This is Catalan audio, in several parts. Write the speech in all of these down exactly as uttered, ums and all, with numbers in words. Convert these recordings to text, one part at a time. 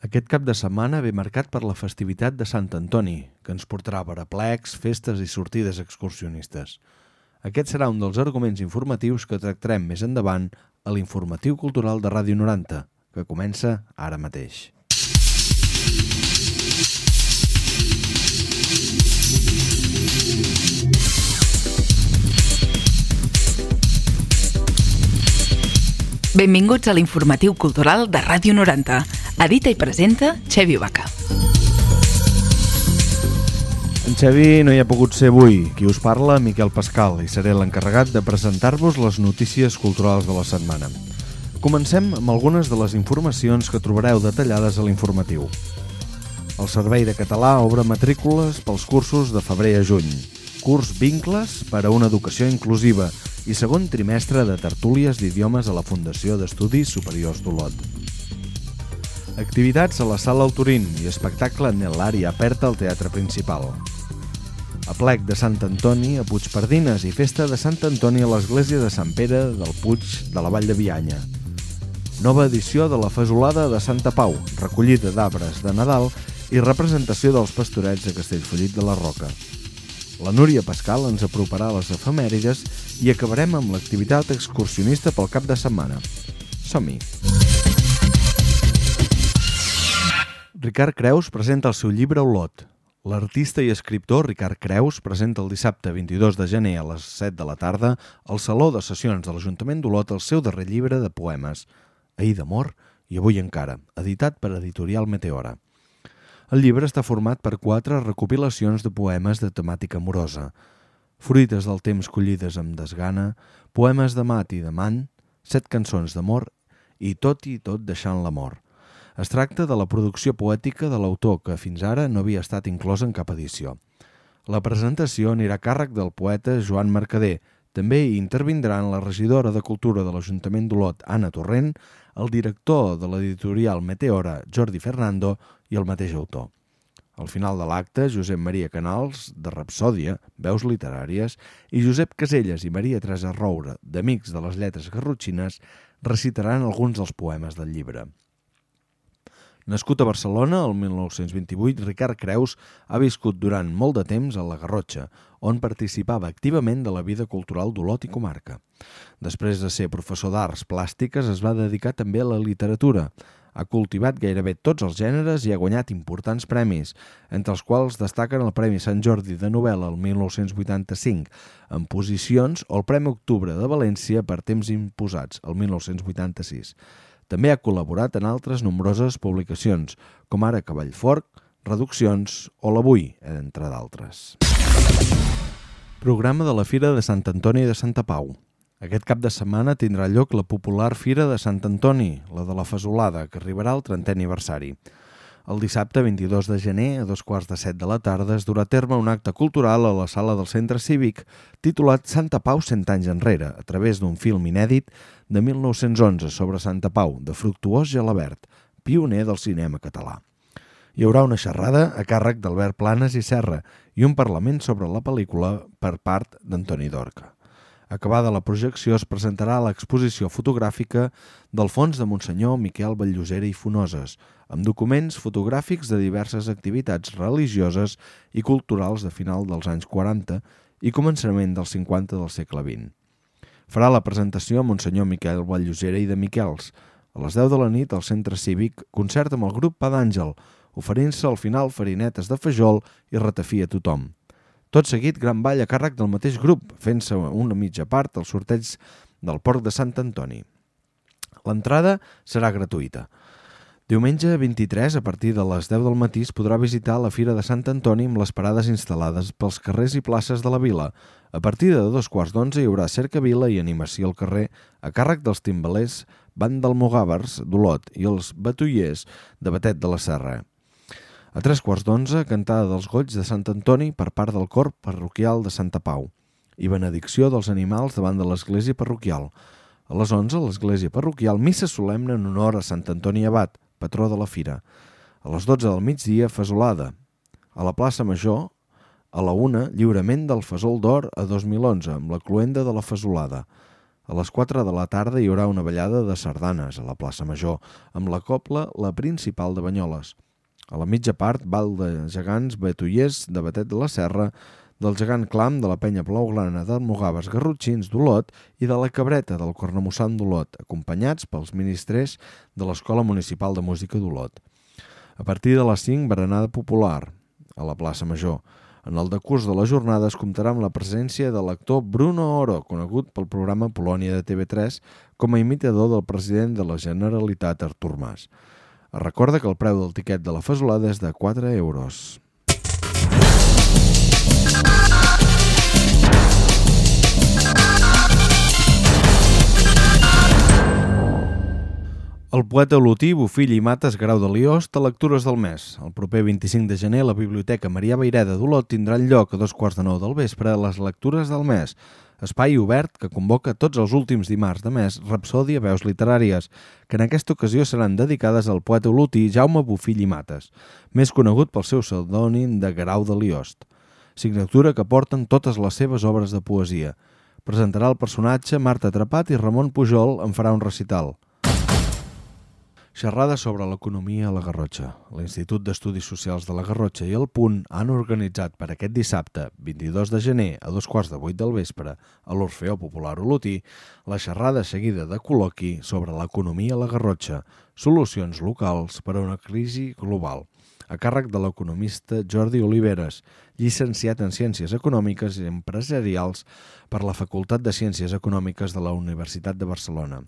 Aquest cap de setmana ve marcat per la festivitat de Sant Antoni, que ens portarà per aplecs, festes i sortides excursionistes. Aquest serà un dels arguments informatius que tractarem més endavant a l'Informatiu Cultural de Ràdio noranta, que comença ara mateix. Benvinguts a l'Informatiu Cultural de Ràdio noranta. Edita i presenta Xevi Vaca. En Xevi no hi ha pogut ser avui. Qui us parla, Miquel Pascal, i seré l'encarregat de presentar-vos les notícies culturals de la setmana. Comencem amb algunes de les informacions que trobareu detallades a l'informatiu. El Servei de Català obre matrícules pels cursos de febrer a juny. Curs Vincles per a una educació inclusiva i segon trimestre de tertúlies d'idiomes a la Fundació d'Estudis Superiors d'Olot. Activitats a la Sala Alturín i espectacle en l'àrea aperta al Teatre Principal. Aplec de Sant Antoni a Puigpardines i festa de Sant Antoni a l'Església de Sant Pere del Puig de la Vall de Bianya. Nova edició de la Fesolada de Santa Pau, recollida d'arbres de Nadal i representació dels pastorets de Castellfollit de la Roca. La Núria Pascal ens aproparà a les efemèrides i acabarem amb l'activitat excursionista pel cap de setmana. Som-hi! Ricard Creus presenta el seu llibre Olot. L'artista i escriptor Ricard Creus presenta el dissabte vint-i-dos de gener a les set de la tarda al Saló de Sessions de l'Ajuntament d'Olot el seu darrer llibre de poemes, Ahir d'amor i avui encara, editat per Editorial Meteora. El llibre està format per quatre recopilacions de poemes de temàtica amorosa, fruites del temps collides amb desgana, poemes d'amat i d'amant, set cançons d'amor i tot i tot deixant l'amor. Es tracta de la producció poètica de l'autor que fins ara no havia estat inclosa en cap edició. La presentació anirà a càrrec del poeta Joan Mercader. També hi intervindran la regidora de Cultura de l'Ajuntament d'Olot, Anna Torrent, el director de l'editorial Meteora, Jordi Fernando, i el mateix autor. Al final de l'acte, Josep Maria Canals, de Rapsòdia, Veus Literàries, i Josep Caselles i Maria Teresa Roure, d'Amics de les Lletres Garrotxines, recitaran alguns dels poemes del llibre. Nascut a Barcelona, el mil nou-cents vint-i-vuit, Ricard Creus ha viscut durant molt de temps a la Garrotxa, on participava activament de la vida cultural d'Olot i comarca. Després de ser professor d'arts plàstiques, es va dedicar també a la literatura. Ha cultivat gairebé tots els gèneres i ha guanyat importants premis, entre els quals destaquen el Premi Sant Jordi de novel·la el mil nou-cents vuitanta-cinc en posicions o el Premi Octubre de València per temps imposats el mil nou-cents vuitanta-sis. També ha col·laborat en altres nombroses publicacions, com ara Cavallfort, Reduccions o l'Avui, entre d'altres. Programa de la Fira de Sant Antoni de Santa Pau. Aquest cap de setmana tindrà lloc la popular Fira de Sant Antoni, la de la Fesolada, que arribarà al trentè aniversari. El dissabte vint-i-dos de gener, a dos quarts de set de la tarda, es durà a terme un acte cultural a la sala del Centre Cívic titulat Santa Pau cent anys enrere, a través d'un film inèdit de mil nou-cents onze sobre Santa Pau, de Fructuós Gelabert, pioner del cinema català. Hi haurà una xerrada a càrrec d'Albert Planes i Serra i un parlament sobre la pel·lícula per part d'Antoni Dorca. Acabada la projecció es presentarà l'exposició fotogràfica del fons de Monsenyor Miquel Batllosera i Fonoses, amb documents fotogràfics de diverses activitats religioses i culturals de final dels anys quaranta i començament dels cinquanta del segle vint. Farà la presentació a Monsenyor Miquel Batllosera i de Miquels. A les deu de la nit, al Centre Cívic, concert amb el grup Pa d'Àngel, oferint-se al final farinetes de fajol i ratafí a tothom. Tot seguit, gran ball a càrrec del mateix grup, fent-se una mitja part al sorteig del Porc de Sant Antoni. L'entrada serà gratuïta. Diumenge vint-i-tres, a partir de les deu del matí, es podrà visitar la Fira de Sant Antoni amb les parades instal·lades pels carrers i places de la vila. A partir de dos quarts d'onze hi haurà cercavila i animació al carrer a càrrec dels timbalers Band d'Almogàvers d'Olot i els batullers de Batet de la Serra. A tres quarts d'onze, cantada dels Goigs de Sant Antoni per part del cor parroquial de Santa Pau i benedicció dels animals davant de l'església parroquial. A les onze, a l'església parroquial, missa solemne en honor a Sant Antoni Abat, patró de la fira. A les dotze del migdia, fesolada. A la plaça Major, a la una, lliurament del fesol d'or a dos mil onze, amb la cloenda de la fesolada. A les quatre de la tarda hi haurà una ballada de sardanes a la plaça Major, amb la cobla La Principal de Banyoles. A la mitja part, ball de gegants batullers de Batet de la Serra, del gegant Clam de la penya blaugrana d'Almogaves Garrotxins d'Olot i de la Cabreta del Cornamussant d'Olot, acompanyats pels ministrers de l'Escola Municipal de Música d'Olot. A partir de les cinc, berenada popular a la plaça Major. En el decurs de la jornada es comptarà amb la presència de l'actor Bruno Oro, conegut pel programa Polònia de T V tres com a imitador del president de la Generalitat Artur Mas. Es recorda que el preu del tiquet de la fesolada és de quatre euros. El poeta olotí, Bofill i Mates Grau de Liost a Lectures del Mes. El proper vint-i-cinc de gener la Biblioteca Marià Vayreda d'Olot tindrà lloc a dos quarts de nou del vespre a les Lectures del Mes, espai obert que convoca tots els últims dimarts de mes Rapsòdia Veus Literàries, que en aquesta ocasió seran dedicades al poeta olotí Jaume Bofill i Mates, més conegut pel seu pseudònim de Grau de Liost. Signatura que porten totes les seves obres de poesia. Presentarà el personatge Marta Atrapat i Ramon Pujol en farà un recital. Xerrada sobre l'economia a la Garrotxa. L'Institut d'Estudis Socials de la Garrotxa i el Punt han organitzat per aquest dissabte, vint-i-dos de gener, a dos quarts de vuit del vespre, a l'Orfeó Popular Olotí, la xerrada seguida de col·loqui sobre l'economia a la Garrotxa, solucions locals per a una crisi global, a càrrec de l'economista Jordi Oliveres, llicenciat en Ciències Econòmiques i Empresarials per la Facultat de Ciències Econòmiques de la Universitat de Barcelona.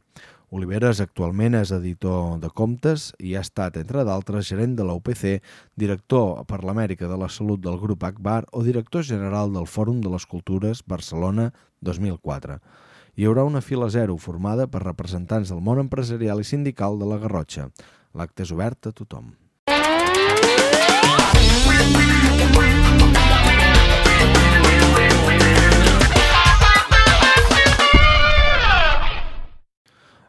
Oliveres actualment és editor de comptes i ha estat, entre d'altres, gerent de la U P C, director per l'Amèrica de la Salut del Grup Akbar o director general del Fòrum de les Cultures Barcelona dos mil quatre. Hi haurà una fila zero formada per representants del món empresarial i sindical de la Garrotxa. L'acte és obert a tothom.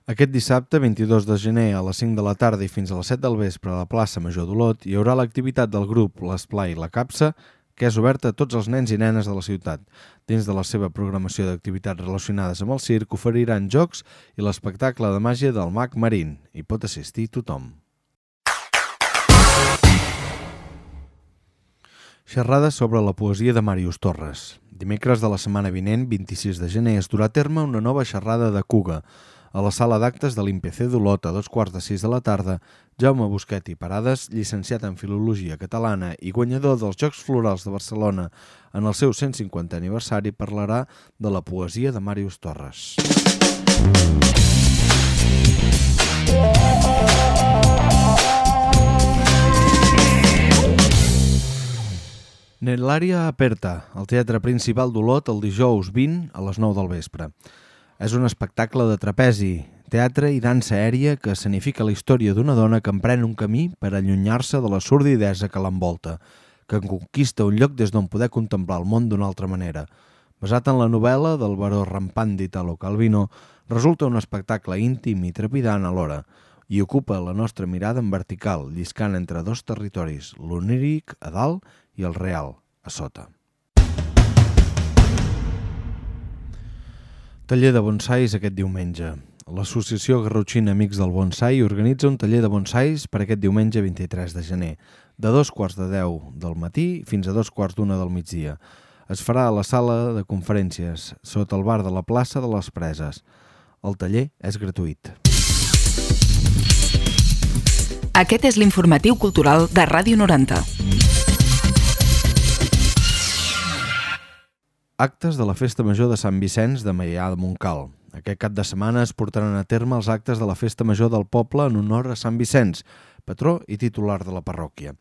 Aquest dissabte, vint-i-dos de gener, a les cinc de la tarda i fins a les set del vespre a la plaça Major d'Olot, hi haurà l'activitat del grup L'Esplai La Capsa, que és oberta a tots els nens i nenes de la ciutat. Dins de la seva programació d'activitats relacionades amb el circ, oferiran jocs i l'espectacle de màgia del mag Marín. Hi pot assistir tothom. Xerrada sobre la poesia de Màrius Torres. Dimecres de la setmana vinent, vint-i-sis de gener, es durà a terme una nova xerrada de Cuga. A la sala d'actes de l'I M P C d'Olot a dos quarts de sis de la tarda, Jaume Busquet i Parades, llicenciat en Filologia Catalana i guanyador dels Jocs Florals de Barcelona en el seu cent cinquantè aniversari, parlarà de la poesia de Màrius Torres. Nell'ària aperta, al Teatre Principal d'Olot, el dijous vint a les nou del vespre. És un espectacle de trapezi, teatre i dansa aèria que escenifica la història d'una dona que emprèn un camí per allunyar-se de la sordidesa que l'envolta, que conquista un lloc des d'on poder contemplar el món d'una altra manera. Basat en la novel·la del baró rampant d'Italo Calvino, resulta un espectacle íntim i trepidant alhora i ocupa la nostra mirada en vertical, lliscant entre dos territoris, l'oníric a dalt i el real a sota. Taller de bonsais aquest diumenge. L'Associació Garrotxina Amics del Bonsai organitza un taller de bonsais per aquest diumenge vint-i-tres de gener, de dos quarts de deu del matí fins a dos quarts d'una del migdia. Es farà a la sala de conferències, sota el bar de la plaça de les Preses. El taller és gratuït. Aquest és l'informatiu cultural de Ràdio noranta. Actes de la Festa Major de Sant Vicenç de Maià de Montcal. Aquest cap de setmana es portaran a terme els actes de la Festa Major del poble en honor a Sant Vicenç, patró i titular de la parròquia.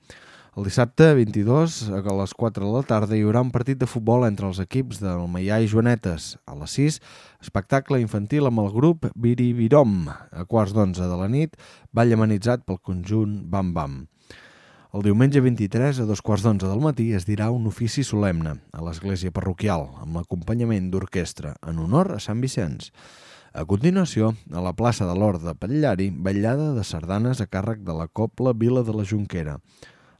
El dissabte vint-i-dos, a les quatre de la tarda, hi haurà un partit de futbol entre els equips del Maià i Joanetes. A les sis, espectacle infantil amb el grup Biribirom. A quarts d'onze de la nit, ball amenitzat pel conjunt Bam Bam. El diumenge vint-i-tres, a dos quarts d'onze del matí, es dirà un ofici solemne a l'església parroquial, amb l'acompanyament d'orquestra, en honor a Sant Vicenç. A continuació, a la plaça de l'Hort de Patllari, vetllada de sardanes a càrrec de la Cobla Vila de la Jonquera.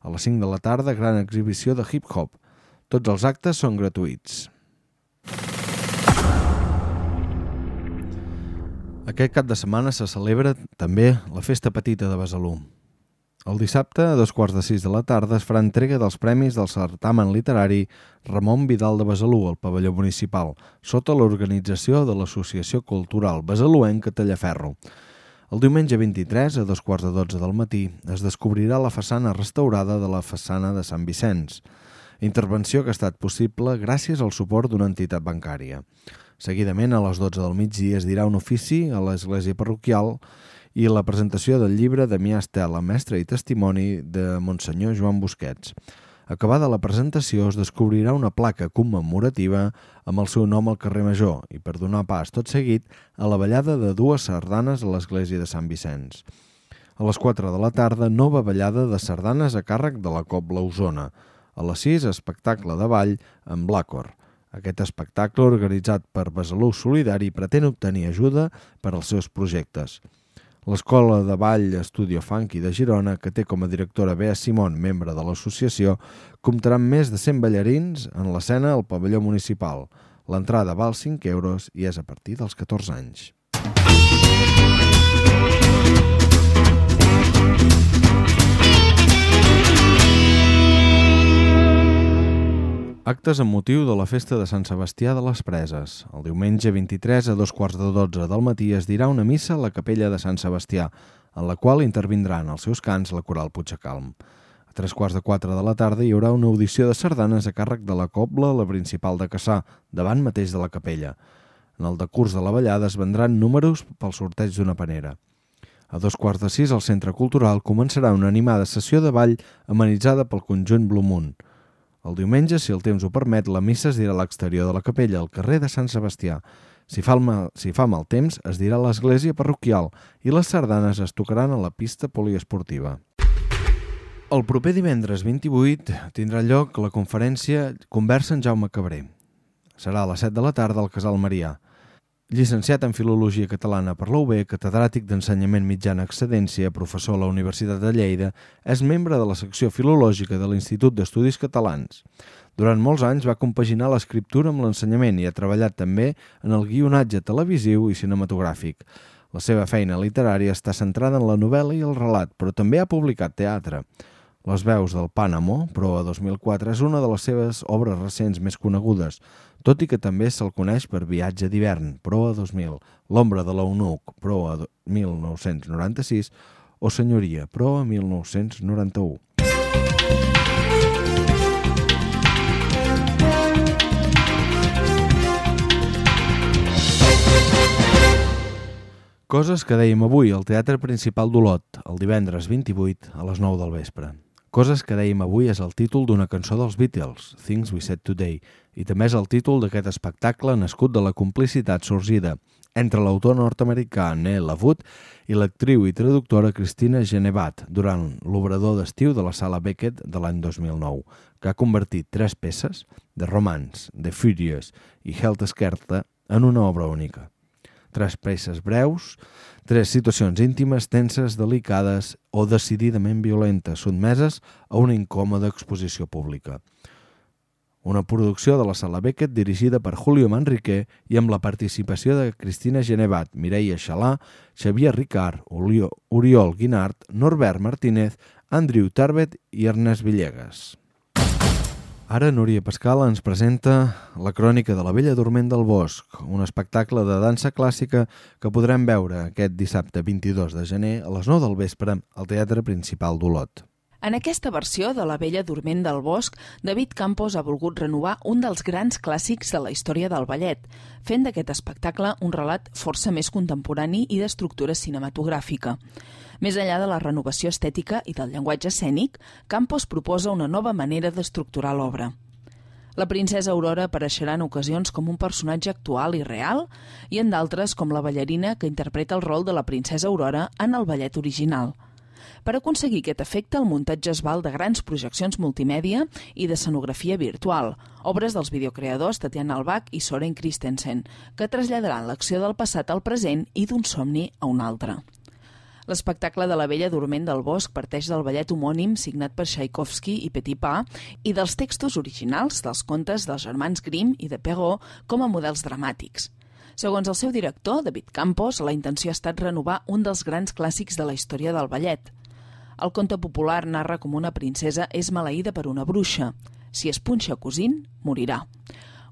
A les cinc de la tarda, gran exhibició de hip-hop. Tots els actes són gratuïts. Aquest cap de setmana se celebra també la Festa Petita de Besalú. El dissabte, a dos quarts de sis de la tarda, es farà entrega dels premis del certamen literari Ramon Vidal de Besalú al pavelló municipal, sota l'organització de l'Associació Cultural Besaluenca Tallaferro. El diumenge vint-i-tres, a dos quarts de dotze del matí, es descobrirà la façana restaurada de la façana de Sant Vicenç, intervenció que ha estat possible gràcies al suport d'una entitat bancària. Seguidament, a les dotze del migdia, es dirà un ofici a l'església parroquial i la presentació del llibre Damià Estela, mestre i testimoni de Monsenyor Joan Busquets. Acabada la presentació, es descobrirà una placa commemorativa amb el seu nom al carrer Major i per donar pas tot seguit a la ballada de dues sardanes a l'església de Sant Vicenç. A les quatre de la tarda, nova ballada de sardanes a càrrec de la Cobla Osona. A les sis, espectacle de ball amb l'Àcor. Aquest espectacle, organitzat per Besalú Solidari, pretén obtenir ajuda per als seus projectes. L'Escola de Ball Estudio Funky de Girona, que té com a directora Bea Simón, membre de l'associació, comptarà amb més de cent ballarins en l'escena al pavelló municipal. L'entrada val cinc euros i és a partir dels catorze anys. Actes amb motiu de la festa de Sant Sebastià de les Preses. El diumenge vint-i-tres a dos quarts de dotze del matí es dirà una missa a la capella de Sant Sebastià, en la qual intervindran als seus cants la coral Puigdecalm. A tres quarts de quatre de la tarda hi haurà una audició de sardanes a càrrec de la Cobla, la principal de Cassà, davant mateix de la capella. En el decurs de la ballada es vendran números pel sorteig d'una panera. A dos quarts de sis al Centre Cultural començarà una animada sessió de ball amenitzada pel conjunt Blue Moon. El diumenge, si el temps ho permet, la missa es dirà a l'exterior de la capella, al carrer de Sant Sebastià. Si fa, mal, si fa mal temps, es dirà a l'església parroquial i les sardanes es tocaran a la pista poliesportiva. El proper divendres vint-i-vuit tindrà lloc la conferència Conversa en Jaume Cabré. Serà a les set de la tarda al Casal Marià. Llicenciat en Filologia Catalana per la U B, catedràtic d'Ensenyament Mitjà en Excedència, professor a la Universitat de Lleida, és membre de la secció filològica de l'Institut d'Estudis Catalans. Durant molts anys va compaginar l'escriptura amb l'ensenyament i ha treballat també en el guionatge televisiu i cinematogràfic. La seva feina literària està centrada en la novel·la i el relat, però també ha publicat teatre. Les veus del Pànamo, Proa dos mil quatre, és una de les seves obres recents més conegudes, tot i que també se'l coneix per Viatge d'hivern, Proa dos mil, L'ombra de l'eunuc, Proa mil nou-cents noranta-sis, o Senyoria, Proa mil nou-cents noranta-u. Coses que dèiem avui al Teatre Principal d'Olot, el divendres vint-i-vuit a les nou del vespre. Coses que dèiem avui és el títol d'una cançó dels Beatles, Things We Said Today, i també és el títol d'aquest espectacle nascut de la complicitat sorgida entre l'autor nord-americà Neil LaVoot i l'actriu i traductora Christina Genevat durant l'obrador d'estiu de la Sala Beckett de l'any dos mil nou, que ha convertit tres peces, The Romance, The Furious i Helter Skelter, en una obra única. Tres peces breus, tres situacions íntimes, tenses, delicades o decididament violentes, sotmeses a una incòmoda exposició pública. Una producció de la Sala Beckett dirigida per Julio Manrique i amb la participació de Christina Genevat, Mireia Xalà, Xavier Ricard, Oriol Guinart, Norbert Martínez, Andrew Tarbet i Ernest Villegas. Ara Núria Pascal ens presenta la crònica de la Bella Dorment del Bosc, un espectacle de dansa clàssica que podrem veure aquest dissabte vint-i-dos de gener a les nou del vespre al Teatre Principal d'Olot. En aquesta versió de La Bella Dorment del Bosc, David Campos ha volgut renovar un dels grans clàssics de la història del ballet, fent d'aquest espectacle un relat força més contemporani i d'estructura cinematogràfica. Més enllà de la renovació estètica i del llenguatge escènic, Campos proposa una nova manera d'estructurar l'obra. La princesa Aurora apareixerà en ocasions com un personatge actual i real i en d'altres com la ballarina que interpreta el rol de la princesa Aurora en el ballet original. Per aconseguir aquest efecte, el muntatge es val de grans projeccions multimèdia i d'escenografia virtual, obres dels videocreadors Tatiana Albach i Soren Christensen, que traslladaran l'acció del passat al present i d'un somni a un altre. L'espectacle de La Bella Dorment del Bosc parteix del ballet homònim signat per Tchaikovsky i Petipa i dels textos originals dels contes dels germans Grimm i de Perrault com a models dramàtics. Segons el seu director, David Campos, la intenció ha estat renovar un dels grans clàssics de la història del ballet. El conte popular narra com una princesa és maleïda per una bruixa. Si es punxa cosint, morirà.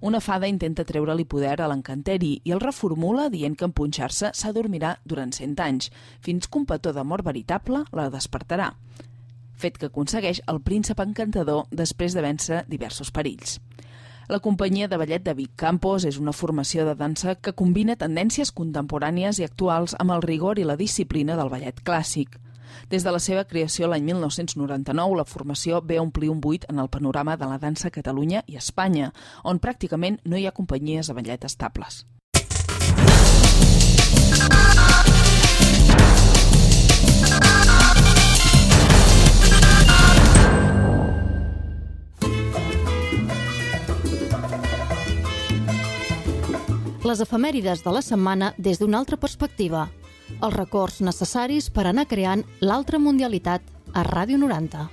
Una fada intenta treure-li poder a l'encanteri i el reformula dient que en punxar-se s'adormirà durant cent anys, fins que un petó d'amor veritable la despertarà. Fet que aconsegueix el príncep encantador després de vèncer diversos perills. La companyia de ballet David Campos és una formació de dansa que combina tendències contemporànies i actuals amb el rigor i la disciplina del ballet clàssic. Des de la seva creació l'any mil nou-cents noranta-nou, la formació ve a omplir un buit en el panorama de la dansa a Catalunya i Espanya, on pràcticament no hi ha companyies de ballet estables. Les efemèrides de la setmana des d'una altra perspectiva. Els records necessaris per anar creant l'altra mundialitat a Ràdio noranta.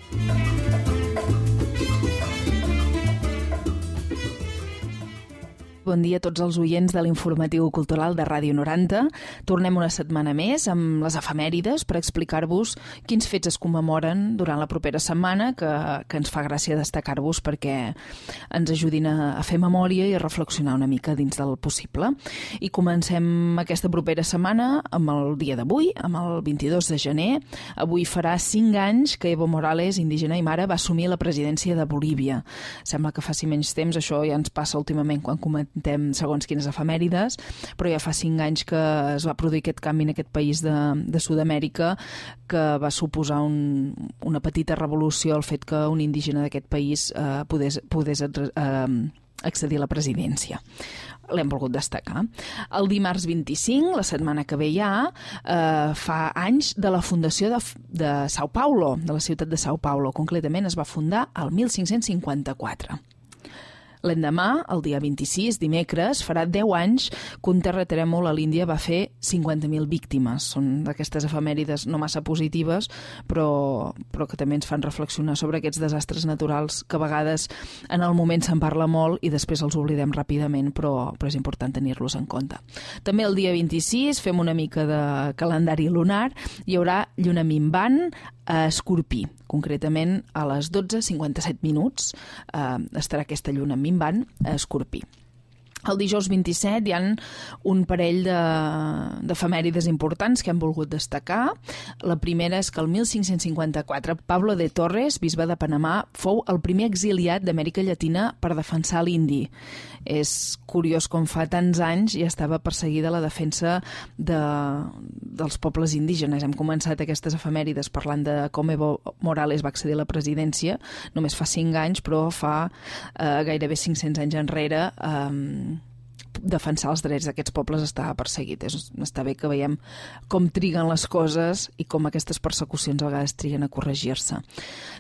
Bon dia a tots els oients de l'informatiu cultural de Ràdio noranta. Tornem una setmana més amb les efemèrides per explicar-vos quins fets es commemoren durant la propera setmana, que, que ens fa gràcia destacar-vos perquè ens ajudin a, a fer memòria i a reflexionar una mica dins del possible. I comencem aquesta propera setmana amb el dia d'avui, amb el vint-i-dos de gener. Avui farà cinc anys que Evo Morales, indígena aimara, va assumir la presidència de Bolívia. Sembla que faci menys temps, això ja ens passa últimament quan comentem segons quines efemèrides, però ja fa cinc anys que es va produir aquest canvi en aquest país de, de Sud-amèrica, que va suposar un, una petita revolució el fet que un indígena d'aquest país eh, podés, podés eh, accedir a la presidència. L'hem volgut destacar. El dimarts vint-i-cinc, la setmana que ve ja, eh, fa anys de la fundació de, de Sao Paulo, de la ciutat de Sao Paulo. Concretament es va fundar el mil cinc-cents cinquanta-quatre. L'endemà, el dia vint-i-sis, dimecres, farà deu anys que un terratrèmol a l'Índia va fer cinquanta mil víctimes. Són d'aquestes efemèrides no massa positives, però, però que també ens fan reflexionar sobre aquests desastres naturals que a vegades en el moment se'n parla molt i després els oblidem ràpidament, però, però és important tenir-los en compte. També el dia vint-i-sis fem una mica de calendari lunar. Hi haurà lluna minvant a Escorpí. Concretament, a les dotze cinquanta-set minuts eh, estarà aquesta lluna minvant a Escorpí. El dijous vint-i-set hi ha un parell d'efemèrides importants que hem volgut destacar. La primera és que el mil cinc-cents cinquanta-quatre Pablo de Torres, bisbe de Panamà, fou el primer exiliat d'Amèrica Llatina per defensar l'indi. És curiós com fa tants anys ja estava perseguida la defensa de, dels pobles indígenes. Hem començat aquestes efemèrides parlant de com Evo Morales va accedir a la presidència, només fa cinc anys, però fa eh, gairebé cinc-cents anys enrere eh, defensar els drets d'aquests pobles estava perseguit. És, està bé que veiem com triguen les coses i com aquestes persecucions a vegades triguen a corregir-se.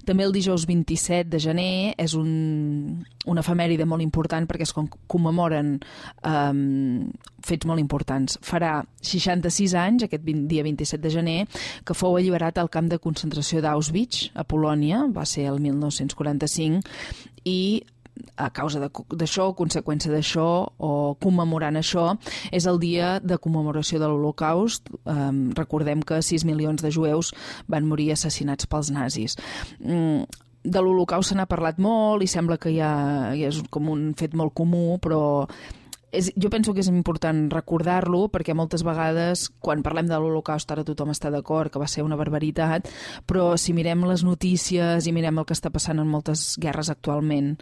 També el dijous vint-i-set de gener és un, una efemèride molt important perquè es commemoren um, fets molt importants. Farà seixanta-sis anys, aquest dia vint-i-set de gener, que fou alliberat al camp de concentració d'Auschwitz, a Polònia, va ser el mil nou-cents quaranta-cinc, i a causa d'això, conseqüència d'això o commemorant això, és el dia de commemoració de l'Holocaust. Um, recordem que sis milions de jueus van morir assassinats pels nazis. Mm, de l'Holocaust se n'ha parlat molt i sembla que ja, ja és com un fet molt comú, però És, jo penso que és important recordar-lo perquè moltes vegades quan parlem de l'Holocaust ara tothom està d'acord que va ser una barbaritat, però si mirem les notícies i mirem el que està passant en moltes guerres actualment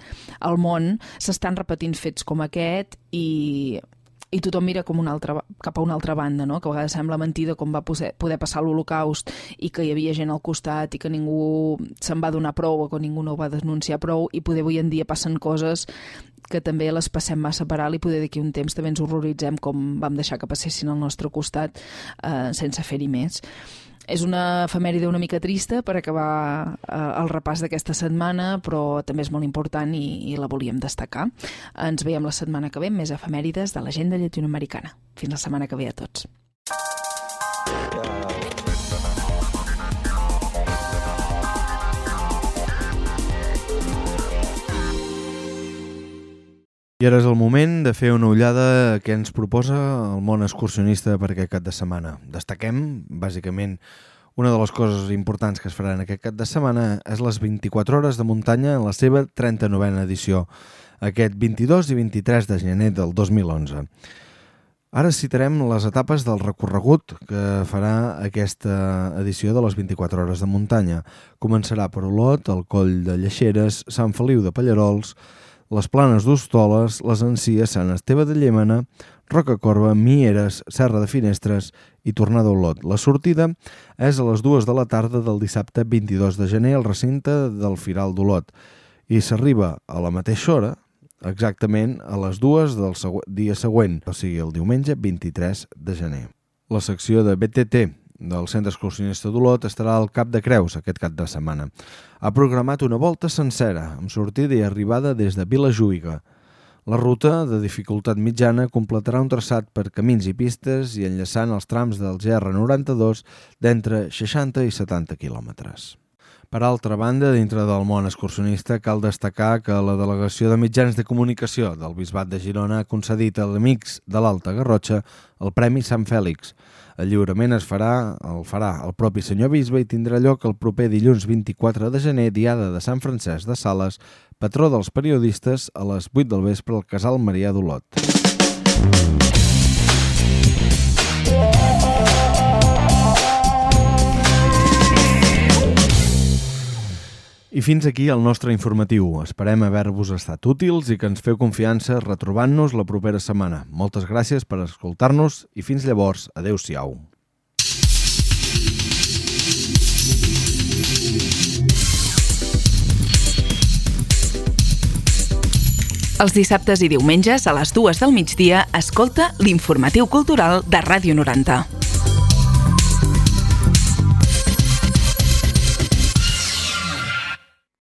al món, s'estan repetint fets com aquest i i tothom mira com una altra, cap a una altra banda, no? Que a vegades sembla mentida com va poder, poder passar l'Holocaust i que hi havia gent al costat i que ningú se'n va donar prou o que ningú no ho va denunciar prou i poder avui en dia passen coses que també les passem massa per alt i poder d'aquí un temps també ens horroritzem com vam deixar que passessin al nostre costat eh, sense fer-hi més. És una efemèride una mica trista per acabar eh, el repàs d'aquesta setmana, però també és molt important i, i la volíem destacar. Ens veiem la setmana que ve amb més efemèrides de l'agenda llatinoamericana. Fins la setmana que ve a tots. I ara és el moment de fer una ullada a què ens proposa el món excursionista per aquest cap de setmana. Destaquem, bàsicament, una de les coses importants que es faran aquest cap de setmana és les vint-i-quatre hores de muntanya en la seva trenta-novena edició, aquest vint-i-dos i vint-i-tres de gener del dos mil onze. Ara citarem les etapes del recorregut que farà aquesta edició de les vint-i-quatre hores de muntanya. Començarà per Olot, el Coll de Lleixeres, Sant Feliu de Pallarols, les Planes d'Hostoles, les Encies, Sant Esteve de Llémena, Rocacorba, Mieres, Serra de Finestres i tornada a Olot. La sortida és a les dues de la tarda del dissabte vint-i-dos de gener al recinte del Firal d'Olot i s'arriba a la mateixa hora, exactament a les dues del segü- dia següent, o sigui el diumenge vint-i-tres de gener. La secció de B T T del Centre Excursionista d'Olot estarà al Cap de Creus aquest cap de setmana. Ha programat una volta sencera, amb sortida i arribada des de Vilajuïga. La ruta, de dificultat mitjana, completarà un traçat per camins i pistes i enllaçant els trams del G R noranta-dos d'entre seixanta i setanta quilòmetres. Per altra banda, dintre del món excursionista, cal destacar que la Delegació de Mitjans de Comunicació del Bisbat de Girona ha concedit a l'Amics de l'Alta Garrotxa el Premi Sant Fèlix. El lliurament es farà, el farà el propi senyor bisbe i tindrà lloc el proper dilluns vint-i-quatre de gener, diada de Sant Francesc de Sales, patró dels periodistes, a les vuit del vespre al Casal Marià d'Olot. I fins aquí el nostre informatiu. Esperem haver-vos estat útils i que ens feu confiança retrobant-nos la propera setmana. Moltes gràcies per escoltar-nos i fins llavors, adeu-siau. Els dissabtes i diumenges a les dues del migdia escolta l'Informatiu Cultural de Ràdio noranta.